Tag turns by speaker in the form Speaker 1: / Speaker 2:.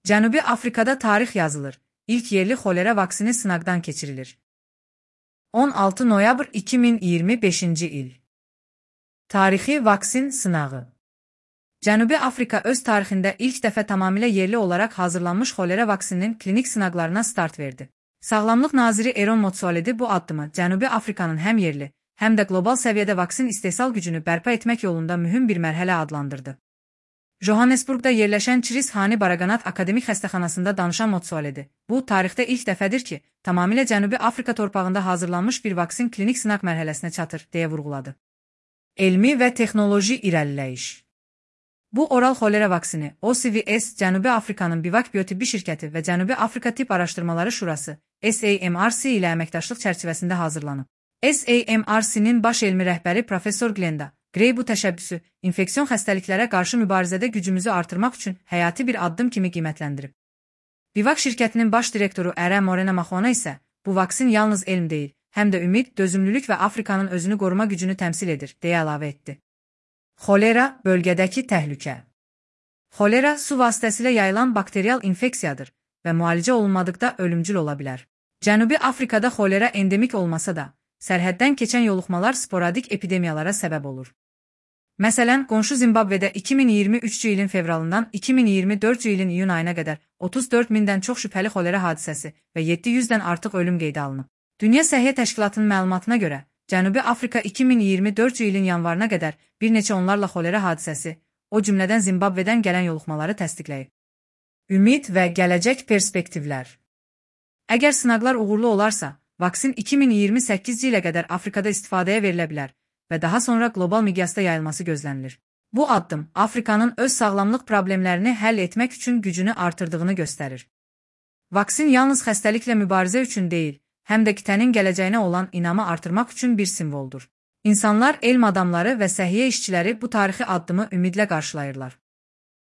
Speaker 1: Cənubi Afrikada tarix yazılır. İlk yerli xolera vaksini sınaqdan keçirilir. 16 noyabr 2025-ci il. Tarixi vaksin sınağı. Cənubi Afrika öz tarixində ilk dəfə tamamilə yerli olaraq hazırlanmış xolera vaksininin klinik sınaqlarına start verdi. Sağlamlıq naziri Aaron Motsoaledi bu addımı Cənubi Afrikanın həm yerli, həm də qlobal səviyyədə vaksin istehsal gücünü bərpa etmək yolunda mühüm bir mərhələ adlandırdı. Johannesburgda yerləşən Chris Hani Baraganath Akademik Xəstəxanasında danışan Motsoaledi, bu tarixdə ilk dəfədir ki, tamamilə Cənubi Afrika torpağında hazırlanmış bir vaksin klinik sınaq mərhələsinə çatır, deyə vurğuladı. Elmi və texnoloji irəliləyiş. Bu oral xolera vaksini OCVS Cənubi Afrikanın Bivak Biotibbi şirkəti və Cənubi Afrika Tibb Araşdırmaları Şurası SAMRC ilə əməkdaşlıq çərçivəsində hazırlanıb. SAMRC-nin baş elmi rəhbəri Professor Glenda Gray bu təşəbbüsü infeksion xəstəliklərə qarşı mübarizədə gücümüzü artırmaq üçün həyati bir addım kimi qiymətləndirib. Bivak şirkətinin baş direktoru Ərə Morena Maxona isə bu vaksin yalnız elm deyil, həm də ümid, dözümlülük və Afrikanın özünü qoruma gücünü təmsil edir, deyə əlavə etdi. Xolera bölgədəki təhlükə. Xolera su vasitəsilə yayılan bakterial infeksiyadır və müalicə olunmadıqda ölümcül ola bilər. Cənubi Afrikada xolera endemik olmasa da, sərhəddən keçən yoluxmalar sporadik epidemiyalara səbəb olur. Məsələn, qonşu Zimbabvedə 2023-cü ilin fevralından 2024-cü ilin iyun ayına qədər 34 mindən çox şübhəli xolera hadisəsi və 700-dən artıq ölüm qeydə alınıb. Dünya Səhiyyə Təşkilatının məlumatına görə, Cənubi Afrika 2024-cü ilin yanvarına qədər bir neçə onlarla xolera hadisəsi, o cümlədən Zimbabvedən gələn yoluxmaları təsdiqləyib. Ümid və gələcək perspektivlər. Əgər sınaqlar uğurlu olarsa, vaksin 2028-ci ilə qədər Afrikada istifadəyə verilə bilər və daha sonra qlobal miqyasda yayılması gözlənilir. Bu addım Afrikanın öz sağlamlıq problemlərini həll etmək üçün gücünü artırdığını göstərir. Vaksin yalnız xəstəliklə mübarizə üçün deyil, həm də qitənin gələcəyinə olan inamı artırmaq üçün bir simvoldur. İnsanlar, elm adamları və səhiyyə işçiləri bu tarixi addımı ümidlə qarşılayırlar.